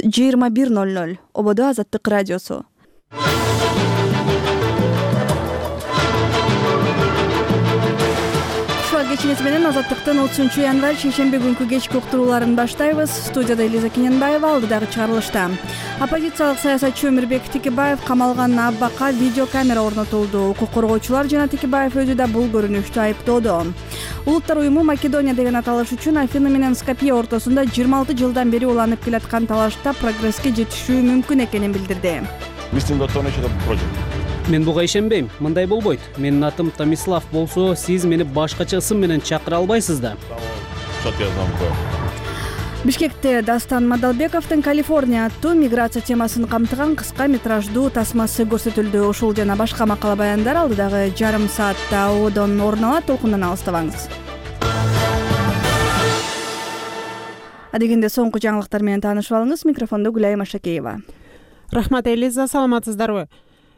21:00. Ободо Азаттык радиосу. Кечиңиз менен Азаттыктын 30-январь шейшемби күнкү кечки уктурууларын баштайбыз. Студияда Элиза Кененбаева, алдыдагы чыгарылышта. Оппозициялык саясатчы Өмүрбек Текебаев камалган абакка видеокамера орнотулду. Укук коргоочулар жана Текебаев өзү да бул көрүнүштү айыптоодо. Улуттар уюму Македония деген аталыш үчүн Афина менен Скопье ортосунда 26 жылдан бери уланып келаткан талашта прогресске жетишүү мүмкүн экенин билдирди. Мен буга ишенбейм. Мындай болбойт. Менин атым Томислав болсо, сиз мени башкача ысым менен чакыра албайсыз да. Бишкекте Дастан Мадалбековдун Калифорния аттуу миграция темасын камтыган кыска метраждуу тасмасы көрсөтүлдү. Ушул жана башка макала баяндар алдыдагы жарым саатта ободон орун алат. Толкундан алыстабаңыз. Адегенде соңку жаңылыктар менен таанышып алыңыз. Микрофондо Гүлай Машакеева. Рахмат, Элиза, саламатсыздарбы?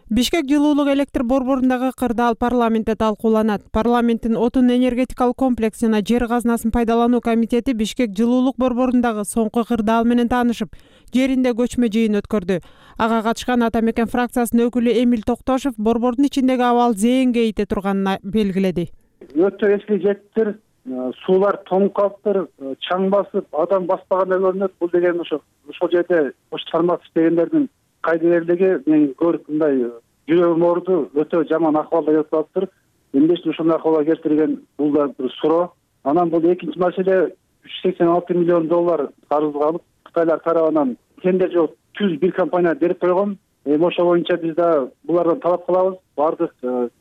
Бишкек жылуулук электр борборундагы кырдаал парламентте талкууланат. Парламенттин отун энергетикалык комплекс жана жер казынасын пайдалануу комитети Бишкек жылуулук борборундагы соңку кырдаал менен таанышып, жеринде көчмө жыйын өткөрдү. Ага катышкан Ата Мекен фракциясынын өкүлү Эмил Токтошов борбордун ичиндеги абал зээнге ийте турганын белгиледи. Өтө эски жеттер, суулар тоңуп калыптыр, чаң басып, адам баспагандай көрүнөт. Бул деген ошол жерде тармак иштегендердин кайдыгерлиги мен көрүп мындай жүрөгүм ооруду, өтө жаман акыбалда келип калыптыр. Эмнештен ушундай акыбалга келтирген бул да бир суроо. Анан бул экинчи маселе $386 миллион карызга алып, Кытайлар тарабынан тендер жок түз бир компания берип койгон. Ошол боюнча биз да булардан талап кылабыз. Бардык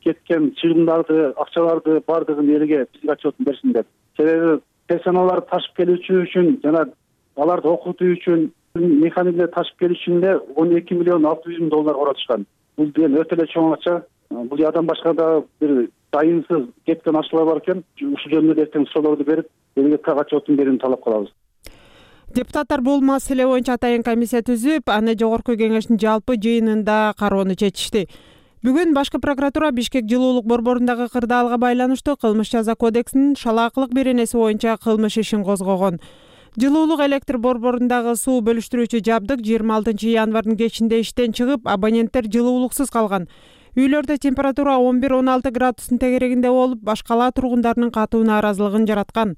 кеткен чыгымдарды, акчаларды бардыгын элге бизге отчетун берсин деп. Себеби персоналарды ташып келүүчү үчүн жана аларды окутуу үчүн механизмде ташып келиш үчүн $12,6 миллион каратышкан. Бул деген өтө эле чоң акча. Бул жадан башка да бир дайынсыз кеткен акчалар бар экен. Ушул жөнүндө эртең суроолорду берип, элге отчетун берүүнү талап кылабыз. Депутаттар бул маселе боюнча атайын комиссия түзүп, аны жогорку кеңештин жалпы жыйынында кароону чечишти. Бүгүн башкы прокуратура Бишкек жылуулук борборундагы кырдаалга байланыштуу кылмыш жаза кодексинин шалаакылык беренеси боюнча кылмыш ишин козгогон. Жылуулук электр борборундагы суу бөлүштүрүүчү жабдык 26 январдын кечинде иштен чыгып, абоненттер жылуулуксуз калган. Үйлөрдө температура 11-16 градустун тегерегинде болуп, башкала тургундарынын катуу нааразылыгын жараткан.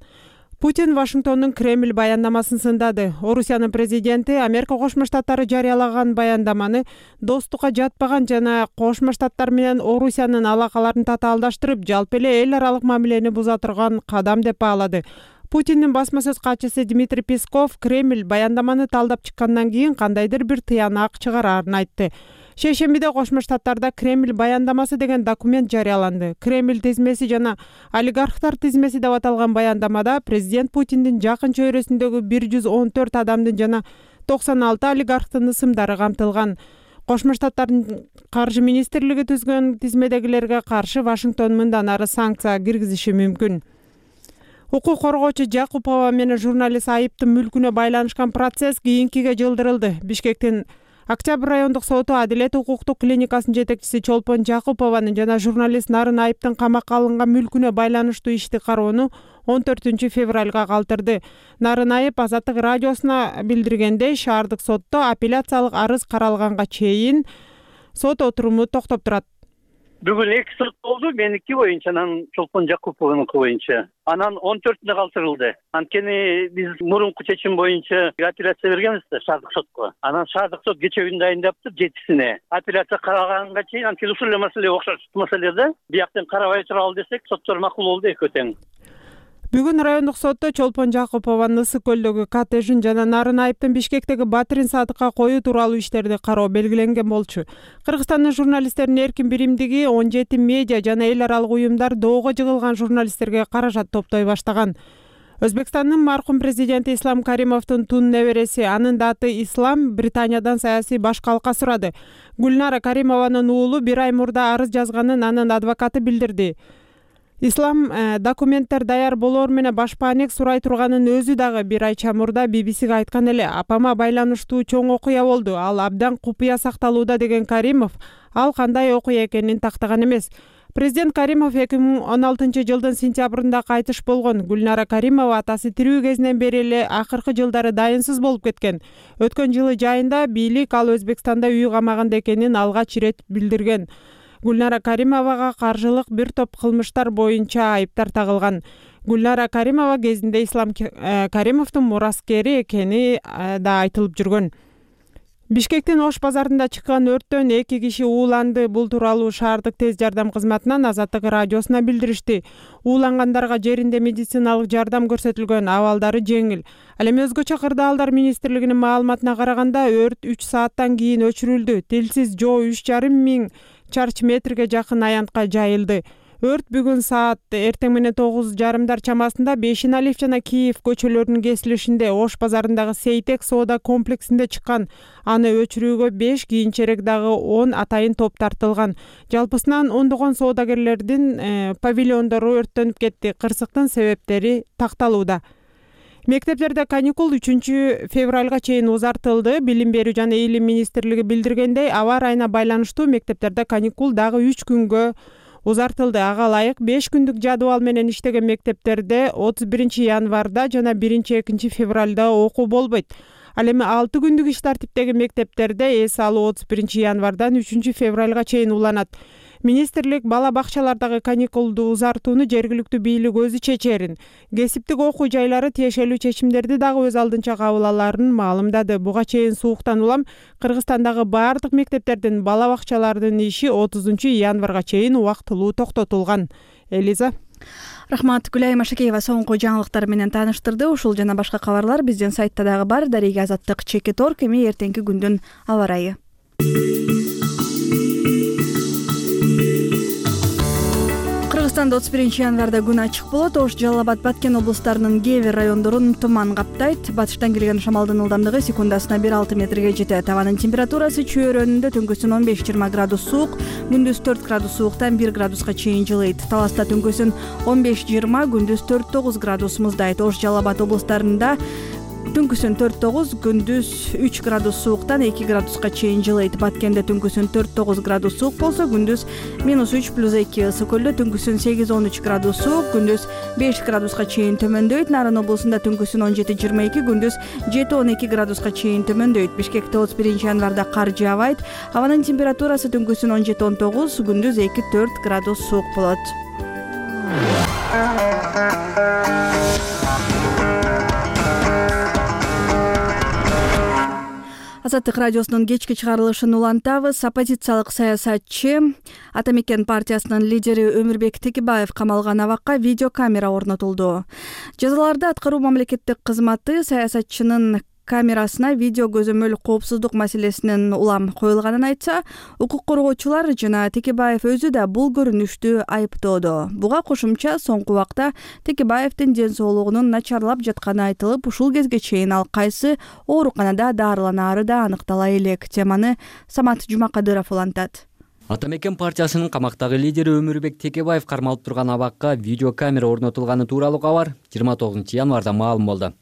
Путин Вашингтондун Кремль баяндамасын сындады. Орусиянын президенти Америка Кошмо Штаттары жарыялаган баяндаманы достукка жатпаган жана Кошмо Штаттар менен Орусиянын алакаларын татаалдаштырып, жалпы эле эл аралык мамилени буза турган кадам деп баалады. Путиндин басма сөз катчысы Дмитрий Песков Кремль баяндаманы талдап чыккандан кийин кандайдыр бир тыянак чыгарарын айтты. Шейшембиде Кошмо Штаттарда Кремль баяндамасы деген документ жарыяланды. Кремль тизмеси жана олигархтар тизмеси деп аталган баяндамада президент Путиндин жакын чөйрөсүндөгү 114 адамдын жана 96 олигархтын ысымдары камтылган. Кошмо Штаттардын каржы министрлиги түзгөн тизмедегилерге каршы Вашингтон мындан ары санкция киргизиши мүмкүн. Укук коргоочу Жакупова менен журналист айыптын мүлкүнө байланышкан процесс кийинкиге жылдырылды. Бишкектин Октябрь райондук соту Адилет укуктук клиникасынын жетекчиси Чолпон Жакупованын жана журналист Нарын айыптын камакка алынган мүлкүнө байланыштуу ишти кароону 14 февралга калтырды. Нарын айып Азаттык радиосуна билдиргендей, шаардык сотто апелляциялык арыз каралганга чейин сот отуруму токтоп турат. Бүгүн 2 сот болду, меники боюнча, анан Чолпон Жакупованыкы боюнча. Анан 14-үндө калтырылды. Анткени биз мурунку чечим боюнча апелляция бергенбиз да шаардык сотко. Анан шаардык сот кече күн дайындаптыр 7-сине. Апелляция караганга чейин анткени ушул эле маселе окшош маселеде бияктан карабай туралы десек, соттор макул болду экөө тең. Бүгүн райондук сотто Чолпон Жакупованын Ысык көлдөгү коттеджин жана Нарын айыптын Бишкектеги Батырин саатыкка коюу тууралуу иштерди кароо белгиленген болчу. Кыргызстандын журналисттеринин эркин биримдиги 17 медиа жана эл аралык уюмдар доого жыгылган журналисттерге каражат топтой баштаган. Өзбекстандын маркум президенти Ислам Каримовдун тун небереси, анын да аты Ислам, Британиядан саясий башкалыкка сурады. Гүлнара Каримованын уулу 1 ай мурда арыз жазганын анын адвокаты билдирди. Ислам документтер даяр болоор менен башпаанек сурай турганын өзү дагы 1 ай чамурда BBC-ге айткан эле. Апама байланыштуу чоң окуя болду. Ал абдан купуя сакталууда деген Каримов, ал кандай окуя экенин тактаган эмес. Президент Каримов 2016-жылдын сентябрында кайтыш болгон. Гүлнара Каримова атасы тирүү кезинен бери эле акыркы жылдары дайынсыз болуп кеткен. Өткөн жылы жайында бийлик ал Өзбекстанда үй камагында экенин алгач ирет билдирген. Гүлнара Каримовага каржылык бир топ кылмыштар боюнча айыптар тагылган. Гүлнара Каримова кезинде Ислам Каримовдун мураскери экени да айтылып жүргөн. Бишкектин Ош базарында чыккан өрттөн 2 киши ууланды. Бул тууралуу шаардык тез жардам кызматынан Азаттык радиосуна билдиришти. Уулангандарга жеринде медициналык жардам көрсөтүлгөн, абалдары жеңил. Ал эми өзгөчө кырдаалдар министрлигинин маалыматына караганда өрт 3 сааттан кийин өчүрүлдү. Тилсиз жоо 3,5 миң чарчы метрге жакын аянтка жайылды. Өрт бүгүн саат эртең менен 9:30 чамасында Бешиналиев жана Киев көчөлөрүнүн кесилишинде Ош базарындагы Сейтек соода комплексинде чыккан. Аны өчүрүүгө 5, кийинчерээк дагы 10 атайын топ тартылган. Жалпысынан ондогон соодагерлердин павильондору өрттөнүп кетти. Кырсыктын себептери такталууда. Мектептерде каникул 3 февралга чейин узартылды. Билим берүү жана Илим министрлиги билдиргендей, аба ырайына байланыштуу мектептерде каникул дагы 3 күнгө узартылды. Ага ылайык 5 күндүк жадыбал менен иштеген мектептерде 31 январда жана 1-2 февралда окуу болбойт. Ал эми 6 күндүк иш тартиптеги мектептерде эс алуу 31 январдан 3 февралга чейин уланат. Министрлик бала бакчалардагы каникулду узартууну жергиликтүү бийлик өзү чечерин. Кесиптик окуу жайлары тиешелүү чечимдерди дагы өз алдынча кабыл аларын маалымдады. Буга чейин сууктан улам Кыргызстандагы баардык мектептердин бала бакчалардын иши 30 январга чейин убактылуу токтотулган. Элиза. Рахмат. Гүлай Машакеева соңку жаңылыктар менен тааныштырды. Ушул жана башка кабарлар биздин сайтта дагы бар. Дареги Азаттык @. Эми эртеңки күндүн аба ырайы. Кыргызстанда 31 январда күн ачык болот. Ош, Жалал Абад, Баткен облустарынын кээ бир райондорун туман каптайт. Батыштан келген шамалдын ылдамдыгы секундасына 1,6 метрге жетет. Абанын температурасы чөйрөнүндө түнкүсүн 15-20 градус суук, күндүз 4 градус сууктан 1 градуска чейин жылыйт. Таласта түнкүсүн 15-20, күндүз 4-9 градус муздайт. Ош, Жалал Абад облустарында түнкүсүн 4-9, күндүз 3 градус сууктан 2 градуска чейин жылыйт. Баткенде түнкүсүн 4-9 градус суук болсо, күндүз -3+2 ысык. Көлдө түнкүсүн 8-13 градус суук, күндүз 5 градуска чейин төмөндөйт. Нарын облусунда түнкүсүн 17-22, күндүз 7-12 градуска чейин төмөндөйт. Бишкекте 31 январда кар жаабайт. Абанын температурасы түнкүсүн 17-19, күндүз 2-4 градус суук болот. Азаттык радиосунун кечки чыгарылышын улантабыз. Оппозициялык саясатчы Ата Мекен партиясынын лидери Өмүрбек Текебаев камалган абакка видеокамера орнотулду. Жазаларды аткаруу мамлекеттик кызматы саясатчынын камерасына видео көзөмөл коопсуздук маселесинин улам коюлганын айтса, укук коргоочулар жана Текебаев өзү да бул көрүнүштү айыптоодо. Буга кошумча соңку убакта Текебаевдин ден соолугунун начарлап жатканы айтылып, ушул кезге чейин ал кайсы ооруканада дарыланаары да аныктала элек. Теманы Самат Жумакадыров улантат. Ата Мекен партиясынын камактагы лидери Өмүрбек Текебаев кармалып турган абакка видеокамера орнотулганы тууралуу кабар 29 январда маалым болду.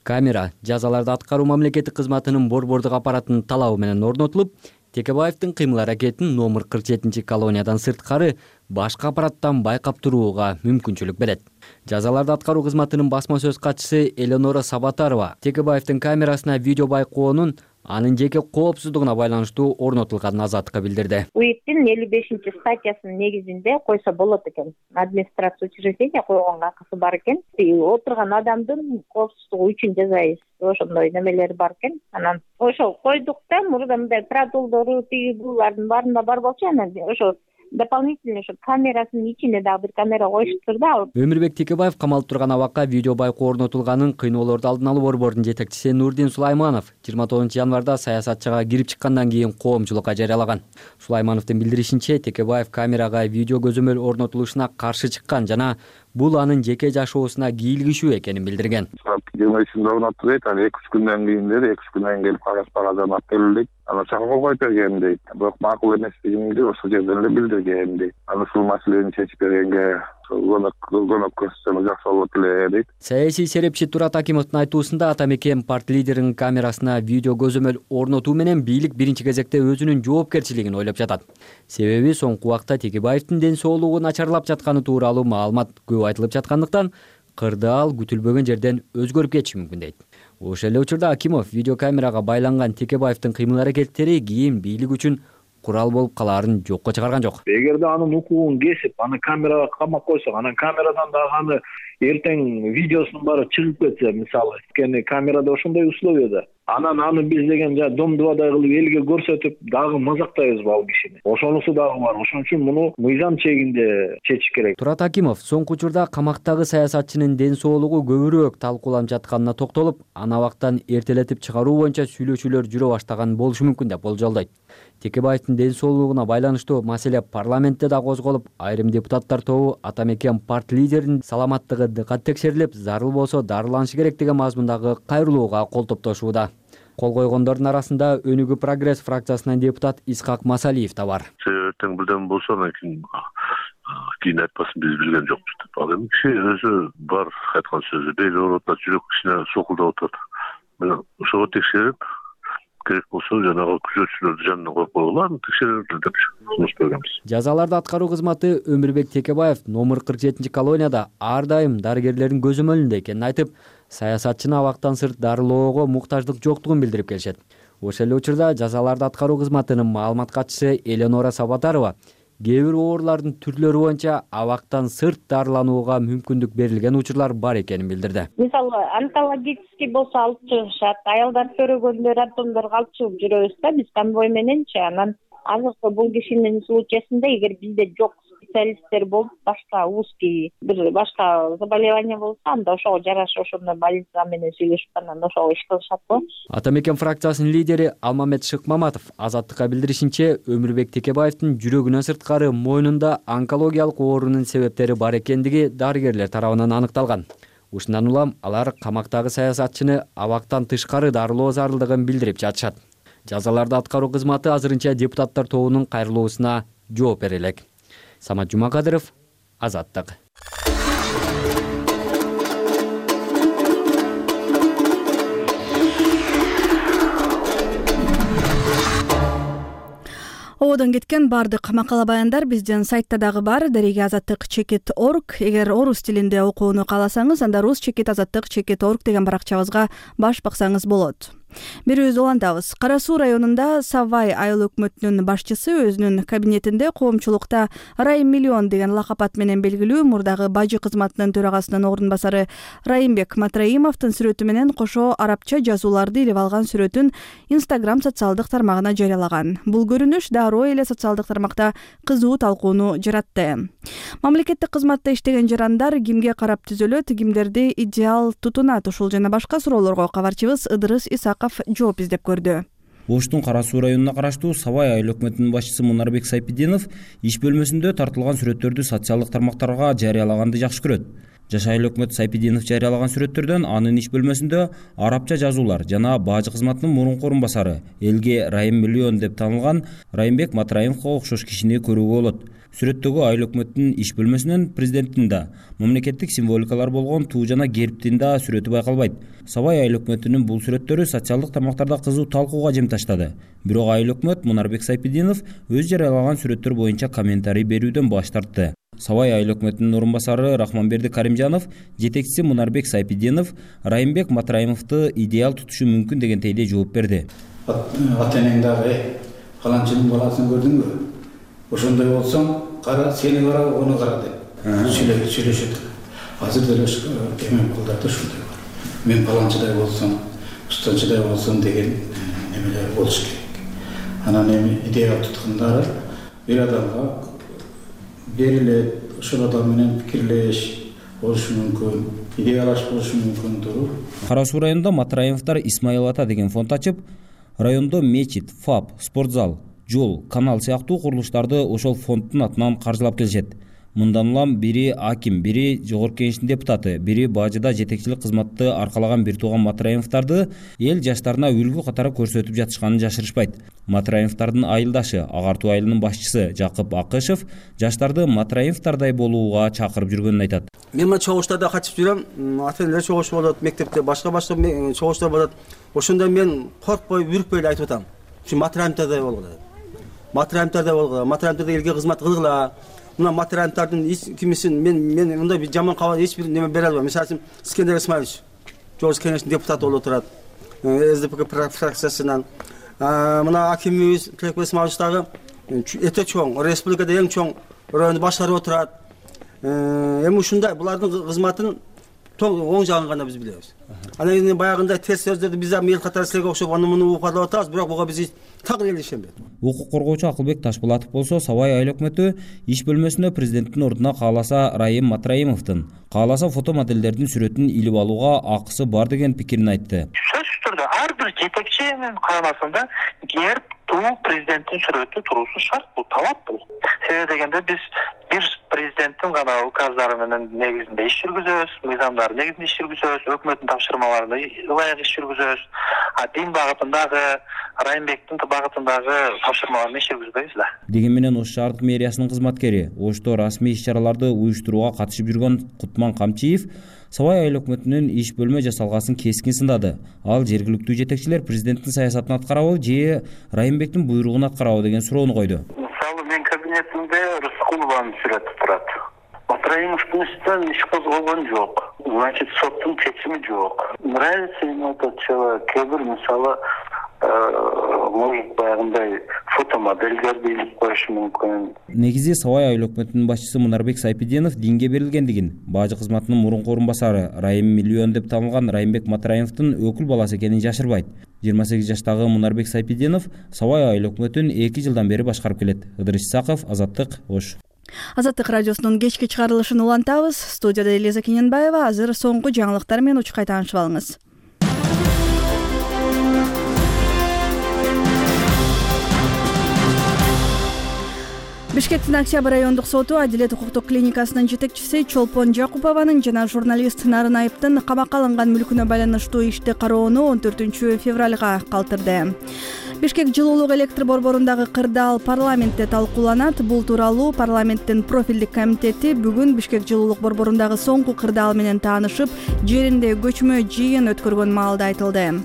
Камера жазаларды аткаруу мамлекеттик кызматынын борбордук аппаратынын талабы менен орнотулуп, Текебаевдин кыймыл-аракетин номер 47 колониядан сырткары башка аппараттан байкап турууга мүмкүнчүлүк берет. Жазаларды аткаруу кызматынын басма сөз катчысы Эленора Сабатарова Текебаевдин камерасына видео байкоонун анын жеке коопсуздугуна байланыштуу орнотулганын Азаттыкка билдирди. УИКтин 55 статьясынын негизинде койсо болот экен. Администрация учреждения койгонго акысы бар экен. Отурган адамдын коопсуздугу үчүн жасайбыз. Ошондой немелер бар экен. Анан ошол койдук да, мурда мындай протоколдору тиги булардын баарында бар болчу, анан ошо дополнительно ошо камерасынын ичине дагы бир камера коюштур да. Өмүрбек Текебаев камалып турган абакка видео байкоо орнотулганын кыйноолорду алдын алуу борборунун жетекчиси Нурдин Сулайманов 29 январда саясатчыга кирип чыккандан кийин коомчулукка жарыялаган. Сулаймановдун билдиришинче, Текебаев камерага видео көзөмөл орнотулушуна каршы чыккан жана бул анын жеке жашоосуна кийлигишүү экенин билдирген. 23-нде орноттук дейт, ал 2-3 күндөн кийин деди, 2-3 күндөн келип кагаз алып келдик. Аны чакырып койуп бергем дейт. Бирок макул эмес дегенди ошол жерден эле билдиргем дейт. Аны ушул маселени чечип бергенге көмөккө жакшы болот эле дейт. Саясий серепчи Турат Акимовдун айтуусунда ата мекен парт лидеринин камерасына видео көзөмөл орнотуу менен бийлик биринчи кезекте өзүнүн жоопкерчилигин ойлоп жатат. Себеби соңку убакта Текебаевдин ден соолугу начарлап жатканы тууралуу маалымат көп айтылып жаткандыктан кырдаал күтүлбөгөн жерден өзгөрүп кетиши мүмкүн дейт. Ошол эле учурда Акимов видеокамерага байланган Текебаевдин кыймыл-аракеттери кийин бийлик үчүн курал болуп калаарын жокко чыгарган жок. Эгерде анын укугун кесип, аны камерага камап койсок, анан камерадан дагы аны эртең видеосунун баары чыгып кетсе, мисалы, анткени камерада ошондой условияда, анан аны биз деген домдубадай кылып элге көрсөтүп дагы мазактайбызбы ал кишини? Ошонусу дагы бар. Ошон үчүн муну мыйзам чегинде чечиш керек. Турат Акимов соңку учурда камактагы саясатчынын ден соолугу көбүрөөк талкууланып жатканына токтолуп, аны абактан эртелетип чыгаруу боюнча сүйлөшүүлөр жүрө баштаган болушу мүмкүн деп болжолдойт. Текебаевдин ден соолугуна байланыштуу маселе парламентте да козголуп, айрым депутаттар тобу ата мекен парт лидеринин саламаттыгы дыкат текшерилип, зарыл болсо дарыланышы керек деген мазмундагы кайрылууга кол топтошууда. Кол койгондордун арасында Өнүгүү Прогресс фракциясынан депутат Исхак Масалиев да бар. Эртең билдем болсо, анан кийин айтпасын биз билген жокпуз деп. Ал эми киши өзү бар айткан сөзү, бел оорутат, жүрөк кичине сокулдап атат. Мына ошого текшерип, керек болсо жанагы күзөтчүлөрдү жанына коюп койгула, аны текшерилди деп сунуш бергенбиз. Жазаларды аткаруу кызматы Өмүрбек Текебаев номер 47 колонияда ар дайым дарыгерлердин көзөмөлүндө экенин айтып, саясатчыны абактан сырт дарылоого муктаждык жоктугун билдирип келишет. Ошол эле учурда жазаларды аткаруу кызматынын маалымат катчысы Эленора Сабатарова кээ бир оорулардын түрлөрү боюнча абактан сырт дарыланууга мүмкүндүк берилген учурлар бар экенин билдирди. Мисалы, онкологический болсо алып чыгышат, аялдар көрөгөндөр, антомдорго алып чыгып жүрөбүз да биз конвой мененчи. Анан азыркы бул кишинин случайсында эгер бизде жок специалисттер болуп, башка узкий бир башка заболевание болсо, анда ошого жараша ошондой больница менен сүйлөшүп, анан ошого иш кылышат го. Ата мекен фракциясынын лидери Алмамет Шыкмаматов Азаттыкка билдиришинче, Өмүрбек Текебаевдин жүрөгүнөн сырткары мойнунда онкологиялык оорунун себептери бар экендиги дарыгерлер тарабынан аныкталган. Ушундан улам алар камактагы саясатчыны абактан тышкары дарылоо зарылдыгын билдирип жатышат. Жазаларды аткаруу кызматы азырынча депутаттар тобунун кайрылуусуна жооп бере элек. Самат Жумакадыров, Азаттык. Ободон кеткен бардык макала баяндар биздин сайтта дагы бар, @azattik.org. Эгер орус тилинде окууну кааласаңыз, анда rus.azattik.org деген баракчабызга баш баксаңыз болот. Берүүбүздү улантабыз. Кара Суу районунда Савай айыл өкмөтүнүн башчысы өзүнүн кабинетинде коомчулукта Райым Миллион деген лакап менен белгилүү мурдагы бажы кызматынын төрагасынын ордун басары Райымбек Матраимовдун сүрөтү менен кошо арабча жазууларды илип алган сүрөтүн Instagram социалдык тармагына жарыялаган. Бул көрүнүш дароо эле социалдык тармакта кызуу талкууну жаратты. Мамлекеттик кызматта иштеген жарандар кимге карап түзөлөт, кимдерди идеал тутунат, ушул жана башка суроолорго кабарчыбыз Ыдырыс Исаков жооп издеп көрдү. Оштун Кара Суу районуна караштуу Савай айыл өкмөтүнүн башчысы Мунарбек Сайпидинов иш бөлмөсүндө тартылган сүрөттөрдү социалдык тармактарга жарыялаганды жакшы көрөт. Жаш айыл өкмөтү Сайпидинов жарыялаган сүрөттөрдөн анын иш бөлмөсүндө арабча жазуулар жана бажы кызматынын мурунку орун басары, элге Райым Миллион деп таанылган Райымбек Матраимовго окшош кишини көрүүгө болот. Сүрөттөгү айыл өкмөтүнүн иш бөлмөсүнөн президенттин да, мамлекеттик символикалар болгон туу жана гербтин да сүрөтү байкалбайт. Сабай айыл өкмөтүнүн бул сүрөттөрү социалдык тармактарда кызуу талкууга жем таштады. Бирок айыл өкмөт Мунарбек Сайпидинов өз жарыялаган сүрөттөр боюнча комментарий берүүдөн баш тартты. Сабай айыл өкмөтүнүн орун басары Рахманберди Каримжанов, жетекчиси Мунарбек Сайпидинов Райымбек Матраимовду идеал тутушу мүмкүн дегендей жооп берди. Ата энең дагы фаланчынын баласын көрдүңбү? Ошондой болсоң, кара, сени кара, ону кара деп сүйлөшөт. Азыр деле эме кылдарды ушундай бар. Мен фаланчыдай болсом, устанчыдай болсом деген немелер болуш керек. Анан эми идея туткандары бир адамга берилет, ошол адам менен пикирлеш болушу мүмкүн, идеялаш болушу мүмкүн туруп. Кара Суу районунда Матраимовдор Исмаил Ата деген фонд ачып, райондо мечит, ФАП, спортзал, жол, канал сыяктуу курулуштарды ошол фонддун атынан каржылап келишет. Мындан улам бири аким, бири жогорку кеңештин депутаты, бири бажыда жетекчилик кызматты аркалаган бир тууган Матраимовдорду эл жаштарына үлгү катары көрсөтүп жатышканын жашырышпайт. Матраимовдордун айылдашы, агартуу айылынын башчысы Жакып Акышев жаштарды Матраимовдордой болууга чакырып жүргөнүн айтат. Мен мына чогуштарда катышып жүрөм. Ата-энелер чогушу болот, мектепте башка чогуштар болот. Ошондо мен коркпой, үркпөй эле айтып атам. Ушу Матраимовдордой болгула. Матраимовдордой болгула. Матраимовдордо элге кызмат кылгыла. Мына Матраимовдордун кимисин мен мындай бир жаман кабар эч бир неме бере албайм. Мисалы Искендер Исмаилович жогорку кеңештин депутаты болуп отурат. СДПК фракциясынан. Мына акимибиз Тилекбек Исмаилович дагы өтө чоң, республикада эң чоң районду башкарып отурат. Эми ушундай булардын кызматын оң жагын гана биз билебиз. Анан кийин баягындай терс сөздөрдү биз эл катары силерге окшоп аны муну укарлап атабыз, бирок буга биз так эле ишенбейт. Укук коргоочу Акылбек Ташбулатов болсо Сабай айыл өкмөтү иш бөлмөсүнө президенттин ордуна кааласа Райым Матраимовдун, кааласа фото моделдердин сүрөтүн илип алууга акысы бар деген пикирин айтты. Сөзсүз түрдө ар бир жетекчинин каамасында герб президенттин сүрөтү туруусу шарт, бул талап бул. Себеби дегенде биз бир президенттин гана указдары менен негизинде иш жүргүзөбүз, мыйзамдары негизинде иш жүргүзөбүз, өкмөттүн тапшырмаларына ылайык иш жүргүзөбүз. Дин багытындагы, Райымбектин багытындагы тапшырмаларына иш жүргүзбөйбүз да. Деген менен Ош шаардык мэриясынын кызматкери, Ошто расмий иш-чараларды уюштурууга катышып жүргөн Кутман Камчиев Сабай айыл өкмөтүнүн иш бөлмө жасалгасын кескин сындады. Ал жергиликтүү жетекчилер президенттин саясатын аткарабы же Райымбектин буйругун аткарабы деген суроону койду. Мисалы мен кабинетимде Рыскулованын сүрөтү турат. Матраимовдун үстүнөн иш козголгон жок. Значит, соттун чечими жок. Нравится ему этот человек. Кээ-бир мисалы может баягындай фотомоделдерди илип коюшу мүмкүн. Негизи Сабай айыл өкмөтүнүн башчысы Мунарбек Сайпиденов динге берилгендигин, бажы кызматынын мурунку орун басары Райым миллион деп танылган Райымбек Матраимовдун өкүл баласы экенин жашырбайт. 28 жаштагы Мунарбек Сайпиденов Сабай айыл өкмөтүн 2 жылдан бери башкарып келет. Ыдырыс Исаков, Азаттык, Ош. Азаттык радиосунун кечки чыгарылышын улантабыз. Студияда Элиза Кененбаева. Азыр соңку жаңылыктар менен учкай таанышып алыңыз. Бишкектин Октябрь райондук соту Адилет укуктук клиникасынын жетекчиси Чолпон Жакупованын жана журналист Нарын Айыптын камакка алынган мүлкүнө байланыштуу ишти кароону 14 февралга калтырды. Бишкек жылуулук электр борборундагы кырдаал парламентте талкууланат. Бул тууралуу парламенттин профилдик комитети бүгүн Бишкек жылуулук борборундагы соңку кырдаал менен таанышып, жеринде көчмө жыйын өткөргөн маалда айтылды.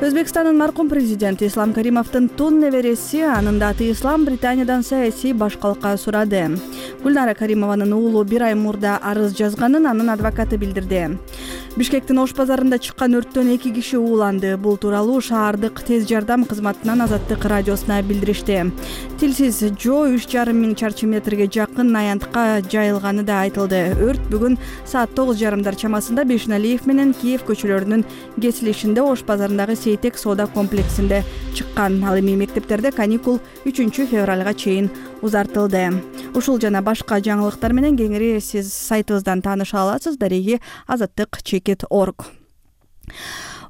Өзбекстандын маркум президенти Ислам Каримовдун тун небереси, анын да аты Ислам, Британиядан саясий башкалыкка сурады. Гүлнара Каримованын уулу бир ай мурда арыз жазганын анын адвокаты билдирди. Бишкектин Ош базарында чыккан өрттөн 2 киши ууланды. Бул тууралуу шаардык тез жардам кызматынан Азаттык радиосуна билдиришти. Тилсиз жоо 3,5 миң чарчы метрге жакын аянтка жайылганы да айтылды. Өрт бүгүн саат 9:30 чамасында Бешналиев менен Киев көчөлөрүнүн кесилишинде Ош базарындагы Сейтек соода комплексинде чыккан. Ал эми мектептерде каникул 3 февралга чейин узартылды. Ушул жана башка жаңылыктар менен кеңири сиз сайтыбыздан тааныша аласыз. Дареги Азаттык.org.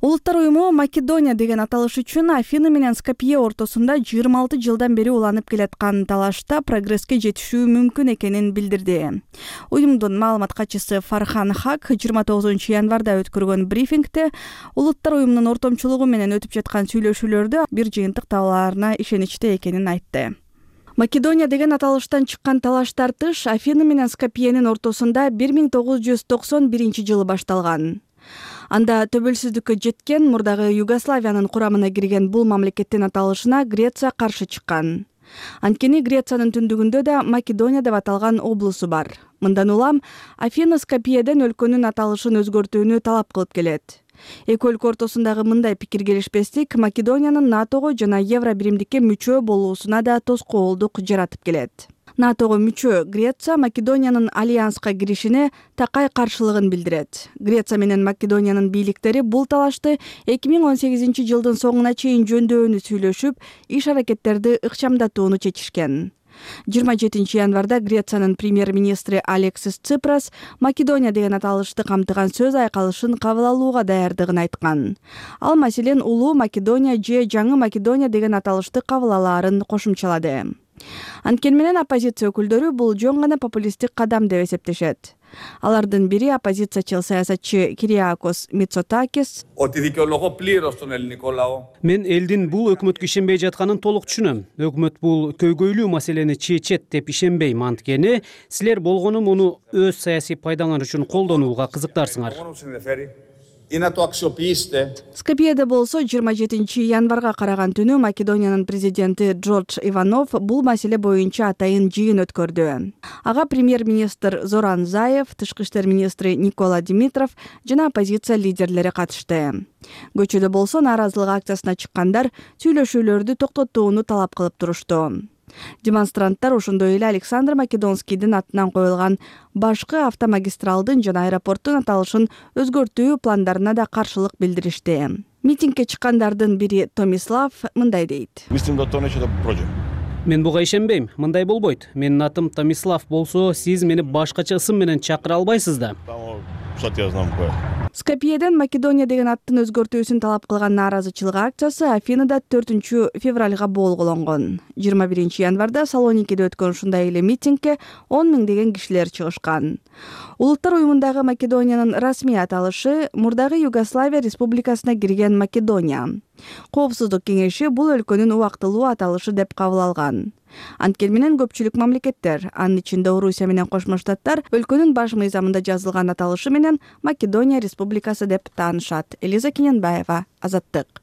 Улуттар уюму Македония деген аталыш үчүн Афина менен Скопье ортосунда 26 жылдан бери уланып келаткан талашта прогресске жетишүү мүмкүн экенин билдирди. Уюмдун маалымат катчысы Фархан Хак 29 январда өткөргөн брифингде улуттар уюмунун ортомчулугу менен өтүп жаткан сүйлөшүүлөрдө бир жыйынтык табылаарына ишеничте экенин айтты. Македония деген аталыштан чыккан талаш тартыш Афина менен Скопьенин ортосунда 1991 жылы башталган. Анда төбөлсүздүккө жеткен мурдагы Югославиянын курамына кирген бул мамлекеттин аталышына Греция каршы чыккан. Анткени Грециянын түндүгүндө да Македония деп аталган облусу бар. Мындан улам Афина Скопьеден өлкөнүн аталышын өзгөртүүнү талап кылып келет. Эки өлкө ортосундагы мындай пикир келишпестик Македониянын НАТОго жана Евро биримдикке мүчө болуусуна да тоскоолдук жаратып келет. НАТОго мүчө Греция Македониянын альянска киришине такай каршылыгын билдирет. Греция менен Македониянын бийликтери бул талашты 2018 жылдын соңуна чейин жөндөөнү сүйлөшүп, иш-аракеттерди ыкчамдатууну чечишкен. 27 январда Грециянын премьер-министри Алексис Ципрас Македония деген аталышты камтыган сөз айкалышын кабыл алууга даярдыгын айткан. Ал маселен улуу Македония же жаңы Македония деген аталышты кабыл алаарын кошумчалады. Анткени менен оппозиция өкүлдөрү бул жөн гана популисттик кадам деп эсептешет. Алардын бири оппозициячыл саясатчы Кириакос Мицотакис. Мен элдин бул өкмөткө ишенбей жатканын толук түшүнөм. Өкмөт бул көйгөйлүү маселени чечет деп ишенбейм, анткени силер болгону муну өз саясий пайдаңар үчүн колдонууга кызыктарсыңар. Скопьеде болсо 27 январга караган түнү Македониянын президенти Джордж Иванов бул маселе боюнча атайын жыйын өткөрдү. Ага премьер-министр Зоран Заев, тышкы иштер министри Никола Димитров жана оппозиция лидерлери катышты. Көчөдө болсо нааразылык акциясына чыккандар сүйлөшүүлөрдү токтотууну талап кылып турушту. Демонстранттар ошондой эле Александр Македонскийдин атынан коюлган башкы автомагистралдын жана аэропорттун аталышын өзгөртүү пландарына да каршылык билдиришти. Митингге чыккандардын бири Томислав мындай дейт. Мен буга ишенбейм, мындай болбойт. Менин атым Томислав болсо, сиз мени башкача ысым менен чакыра албайсыз да. Скопьеден Македония деген аттын өзгөртүүсүн талап кылган нааразычылык акциясы Афинада 4 февралга болгонгон. 21 январда Салоникиде өткөн ушундай эле митингге 10 000 деген кишилер чыгышкан. Улуттар уюмундагы Македониянын расмий аталышы мурдагы Югославия республикасына кирген Македония. Коопсуздук кеңеши бул өлкөнүн убактылуу аталышы деп кабыл алган. Анткени менен көпчүлүк мамлекеттер, анын ичинде Орусия менен Кошмо Штаттар, өлкөнүн баш мыйзамында жазылган аталышы менен Македония республикасы деп таанышат. Элиза Кененбаева, Азаттык.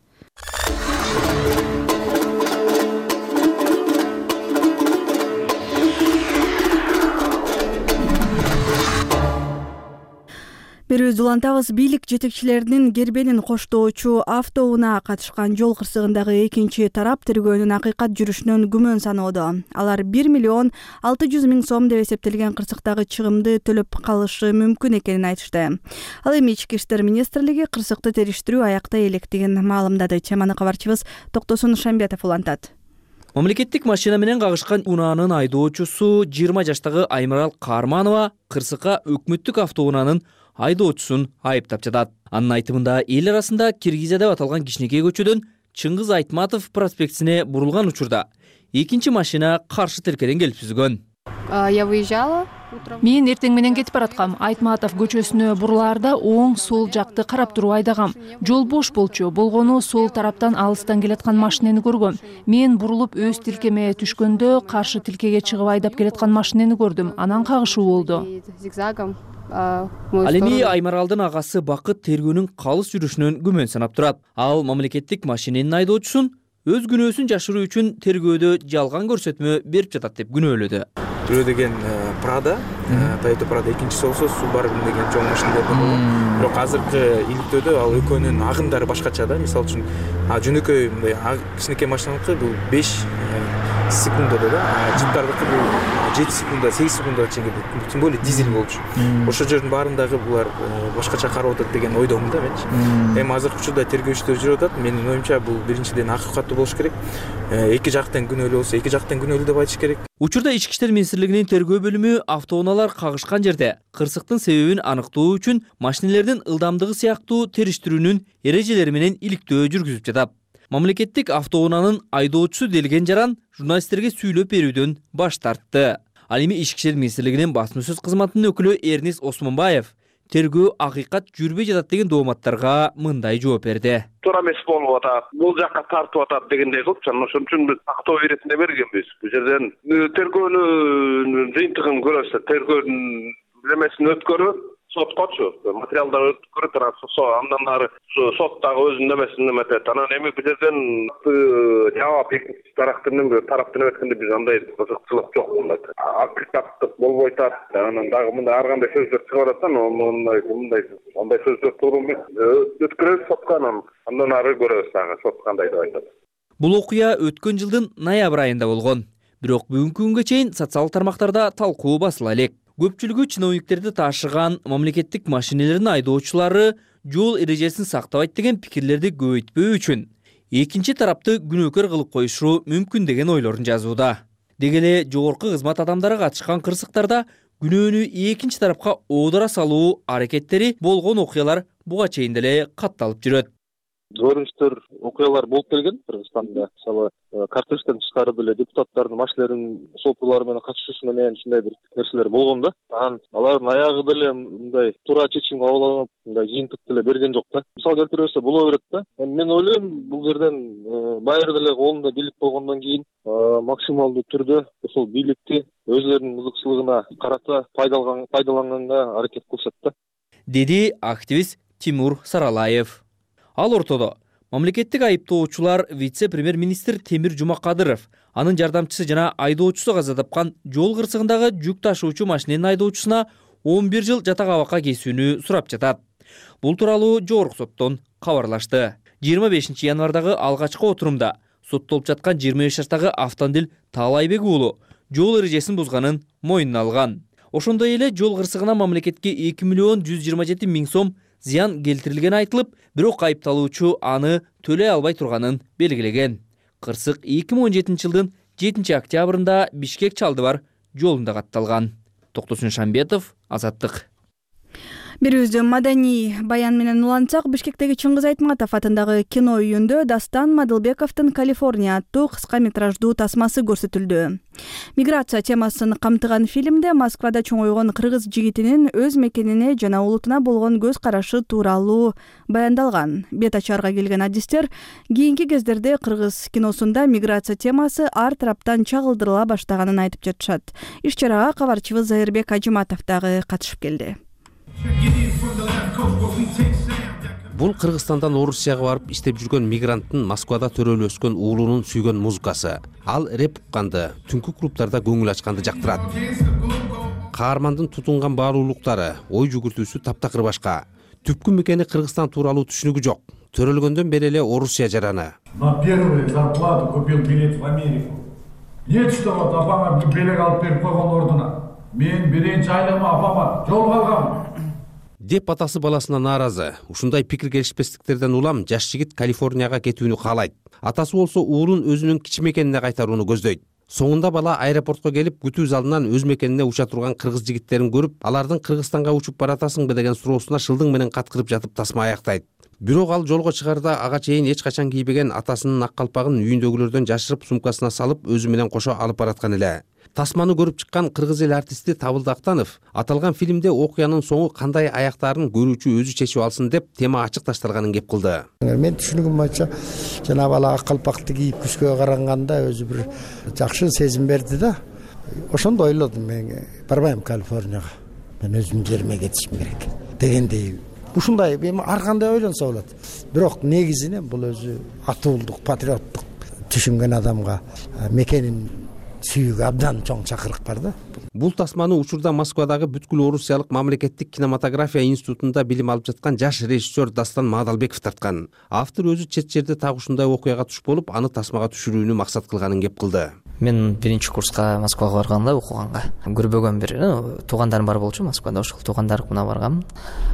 Берүүбүздү улантабыз. Бийлик жетекчилеринин гербенин коштоочу автоунаа катышкан жол кырсыгындагы экинчи тарап тергөөнүн акыйкат жүрүшүнөн күмөн саноодо. Алар 1 миллион 600 миң сом деп эсептелген кырсыктагы чыгымды төлөп калышы мүмкүн экенин айтышты. Ал эми Ички иштер министрлиги кырсыкты териштирүү аяктай электигин маалымдады. Теманы кабарчыбыз Токтосун Шамбетов улантат. Мамлекеттик машина менен кагышкан унаанын айдоочусу 20 жаштагы Аймарал Карманова кырсыкка өкмөттүк автоунаанын айдоочусун айыптап жатат. Анын айтымында эл арасында Киргизия деп аталган кичинекей көчөдөн Чыңгыз Айтматов проспектине бурулган учурда экинчи машина каршы тилкеден келип сүзгөн. Я выезжала. Мен эртең менен кетип бараткам. Айтматов көчөсүнө бурулаарда оң сол жакты карап туруп айдагам. Жол бош болчу. Болгону сол тараптан алыстан келаткан машинени көргөм. Мен бурулуп өз тилкеме түшкөндө каршы тилкеге чыгып айдап келаткан машинени көрдүм. Анан кагышуу болду. Ал эми Аймаралдын агасы Бакыт тергөөнүн калыс жүрүшүнөн күмөн санап турат. Ал мамлекеттик машиненин айдоочусун өз күнөөсүн жашыруу үчүн тергөөдө жалган көрсөтмө берип жатат деп күнөөлөдү. Бирөө деген Прада, Toyota Prada, экинчиси болсо Subaru деген чоң машиналар болот. Бирок азыркы иликтөөдө ал экөөнүн агымдары башкача да. Мисалы үчүн жөнөкөй мындай кичинекей машинаныкы бул 5 секундада да, жиптардыкы бул 7 секунда, 8 секундага чейин кетет. Тем более дизель болчу. Ошо жердин баарындагы булар башкача карап атат деген ойдомун да менчи. Эми азыркы учурда тергөө иштери жүрүп атат. Менин оюмча бул биринчиден акыйкаттуу болуш керек. Эки жактан күнөөлүү болсо, эки жактан күнөөлүү деп айтыш керек. Учурда Ички иштер министрлигинин тергөө бөлүмү автоунаалар кагышкан жерде кырсыктын себебин аныктоо үчүн машинелердин ылдамдыгы сыяктуу териштирүүнүн эрежелери менен иликтөө жүргүзүп жатат. Мамлекеттик автоунаанын айдоочусу Делген Жаран журналисттерге сүйлөп берүүдөн баш тартты. Ал эми Ички иштер министрлигинин басма сөз кызматынын өкүлү Эрнис Осмонбаев тергөө акыйкат жүрбөй жатат деген дооматтарга мындай жооп берди. Туура эмес болуп атат, бул жакка тартып атат дегендей кылып, ошон үчүн биз актоо иретинде бергенбиз. Бул жерден тергөөнүн жыйынтыгын көрөсүз, тергөөнүн эмесин өткөрүп, соткочу материалдар өткөрүп андан ары соттагы өзүнүн эмесин эметет. Анан эми бул жерден жаап экинчи тараптын өткөндө биз андай кызыкчылык жок болот. Акыйкаттык болбой атат. Анан дагы мындай ар кандай сөздөр чыгып атат, мындай сөздөр туура эмес. Өткөрөбүз сотко, андан ары көрөбүз дагы сот кандай деп айтат. Бул окуя өткөн жылдын ноябрь айында болгон. Бирок бүгүнкү күнгө чейин социалдык тармактарда талкуу басыла элек. Көпчүлүгү чиновниктерди таашыган мамлекеттик машинелердин айдоочулары жол эрежесин сактабайт деген пикирлерди көбөйтпөө үчүн экинчи тарапты күнөөкөр кылып коюшу мүмкүн деген ойлорун жазууда. Деги эле жогорку кызмат адамдары катышкан кырсыктарда күнөөнү экинчи тарапка оодура салуу аракеттери болгон окуялар буга чейин деле катталып жүрөт. көрүнүштөр, окуялар болуп келген Кыргызстанда. Мисалы, кортежден тышкары деле депутаттардын машиналеринин сотуулары менен катышуусу менен ушундай бир нерселер болгон да. Анан алардын аягы деле мындай туура чечим кабыл алынып, мындай жыйынтык деле берген жок да. Мисал келтире боло берет да. Мен ойлойм, бул жерден байыр деле колунда бийлик болгондон кийин максималдуу түрдө ошол бийликти өзлөрүнүн ызыкчылыгына карата пайдаланганга аракет кылышат да, деди активист Тимур Саралаев. Ал ортодо мамлекеттик айыптоочулар вице-премьер-министр Темир Жумакадыров, анын жардамчысы жана айдоочусу каза тапкан жол кырсыгындагы жүк ташуучу машиненин айдоочусуна 11 жыл жатак абакка кесүүнү сурап жатат. Бул тууралуу жогорку соттон кабарлашты. 25 январдагы алгачкы отурумда соттолуп жаткан 23 жаштагы Автандил Таалайбек уулу жол эрежесин бузганын мойнуна алган. Ошондой эле жол кырсыгына мамлекетке 2 миллион 127 миң сом зыян келтирилгени айтылып, бирок айыпталуучу аны төлөй албай турганын белгилеген. Кырсык 2017 жылдын 7 октябрында Бишкек-Чалдыбар жолунда катталган. Токтосун Шамбетов, Азаттык. Бирибизде маданий баян менен улантсак, Бишкектеги Чыңгыз Айтматов атындагы кино үйүндө Дастан Мадылбековдун «Калифорния» аттуу кыска метраждуу тасмасы көрсөтүлдү. Миграция темасын камтыган фильмде Москвада чоңойгон кыргыз жигитинин өз мекенине жана улутуна болгон көз карашы тууралуу баяндалган. Бет ачарга келген адистер кийинки кездерде кыргыз киносунда миграция темасы ар тараптан чагылдырыла баштаганын айтып жатышат. Иш чарага кабарчыбыз Зайырбек Ажыматов дагы катышып келди. Бул Кыргызстандан Орусияга барып иштеп жүргөн мигранттын Москвада төрөлүп өскөн уулунун сүйгөн музыкасы. Ал рэп укканды, түнкү клубтарда көңүл ачканды жактырат. Каармандын тутунган баалуулуктары, ой жүгүртүүсү таптакыр башка. Түпкү мекени Кыргызстан тууралуу түшүнүгү жок. Төрөлгөндөн бери эле Орусия жараны. На первую зарплату купил билет в Америку. Нет, что вот апама белек алып берип койгон ордуна. Мен биринчи айлама апама жол калгам деп атасы баласына нааразы. Ушундай пикир келишпестиктерден улам жаш жигит Калифорнияга кетүүнү каалайт. Атасы болсо уулун өзүнүн кичи мекенине кайтарууну көздөйт. Соңунда бала аэропортко келип, күтүү залынан өз мекенине уча турган кыргыз жигиттерин көрүп, алардын Кыргызстанга учуп баратасыңбы деген суроосуна шылдың менен каткырып жатып тасма аяктайт. Бирок ал жолго чыгарда ага чейин эч качан кийбеген атасынын ак калпагын үйүндөгүлөрдөн жашырып сумкасына салып, өзү менен кошо алып бараткан эле. Тасманы көрүп чыккан кыргыз эл артисти Табылды Актанов аталган фильмде окуянын соңу кандай аяктаарын көрүүчү өзү чечип алсын деп тема ачык ташталганын кеп кылды. Мен түшүнүгүм боюнча жанагы бала ак калпакты кийип күзгө караганда өзү бир жакшы сезим берди да. Ошондо ойлодум, мен барбайм Калифорнияга. Мен өзүмдүн жериме кетишим керек дегендей. Ушундай эми ар кандай ойлонсо болот. Бирок негизинен бул өзү атуулдук, патриоттук түшүнгөн адамга мекенин сүйүүгө абдан чоң чакырык бар да. Бул тасманы учурда Москвадагы бүткүл Орусиялык мамлекеттик кинематография институтунда билим алып жаткан жаш режиссер Дастан Мадылбеков тарткан. Автор өзү чет жерде так ушундай окуяга туш болуп, аны тасмага түшүрүүнү максат кылганын кеп кылды. Мен биринчи курска Москвага барганда окуганга көрбөгөн бир туугандарым бар болчу Москвада, ошол туугандарымна баргам.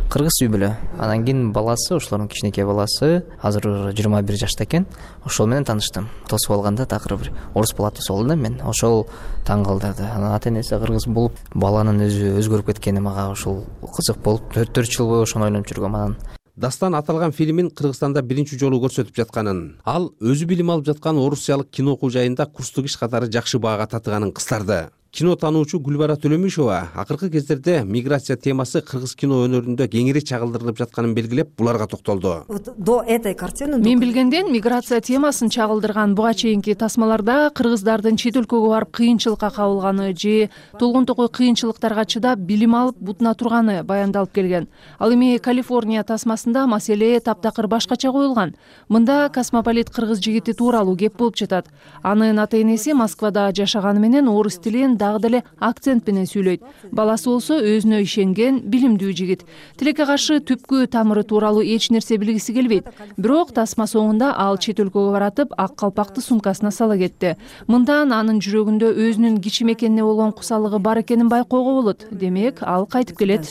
Кыргыз үй бүлө. Анан кийин баласы, ошолордун кичинекей баласы азыр 21 жашта экен. Ошол менен тааныштым. Тосуп алганда такыр бир орус бала тосуп алдым да мен. Ошол таң калтырды. Анан ата-энеси кыргыз болуп, баланын өзү өзгөрүп кеткени мага ошол кызык болуп, 4 жыл бою ошону ойлонуп жүргөм. Анан Дастан аталган фильмин Кыргызстанда биринчи жолу көрсөтүп жатканын, ал өзү билим алып жаткан орусиялык кино окуу жайында курстук иш катары жакшы баага татыганын кыстарды. Кино таануучу Гүлбара Төлөмишова акыркы кездерде миграция темасы кыргыз кино өнөрүндө кеңири чагылдырылып жатканын белгилеп, буларга токтолду. До этой картины мен билгенден миграция темасын чагылдырган буга чейинки тасмаларда кыргыздардын чет өлкөгө барып кыйынчылыкка кабылганы же толгонтокой кыйынчылыктарга чыдап билим алып бутуна турганы баяндалып келген. Ал эми Калифорния тасмасында маселе таптакыр башкача коюлган. Мында космополит кыргыз жигити тууралуу кеп болуп жатат. Анын ата-энеси Москвада жашаганы менен орус тилин дагы деле акцент менен сүйлөйт. Баласы болсо өзүнө ишенген, билимдүү жигит. Тилекке каршы түпкү тамыры тууралуу эч нерсе билгиси келбейт. Бирок тасма соңунда ал чет өлкөгө баратып, ак калпакты сумкасына сала кетти. Мындан анын жүрөгүндө өзүнүн кичи мекенине болгон кусалыгы бар экенин байкоого болот. Демек, ал кайтып келет.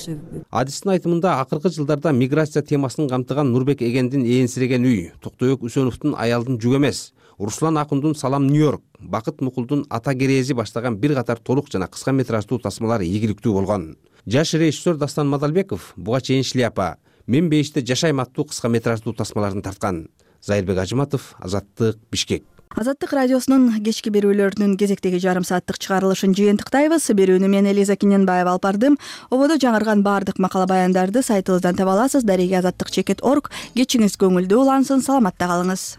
Адистин айтымында акыркы жылдарда миграция темасын камтыган Нурбек Эгендин ээнсиреген үй, Токтойбек Үсөновдун Аялдын жүк эмес, Руслан Акундун Салам Нью-Йорк, Бакыт Мукулдун Ата керези баштаган бир катар толук жана кыска метраждуу тасмалар ийгиликтүү болгон. Жаш режиссер Дастан Мадылбеков буга чейин Шляпа, Мен бейиште жашайм аттуу кыска метраждуу тасмаларын тарткан. Зайырбек Ажыматов, Азаттык, Бишкек. Азаттык радиосунун кечки берүүлөрүнүн кезектеги жарым сааттык чыгарылышын жыйынтыктайбыз. Берүүнү мен Элиза Киненбаева алып бардым. Ободо жаңырган баардык макала баяндарды сайтыбыздан таба аласыз. Дареги азаттык чекит.org. Кечиңиз көңүлдүү улансын, саламатта калыңыз.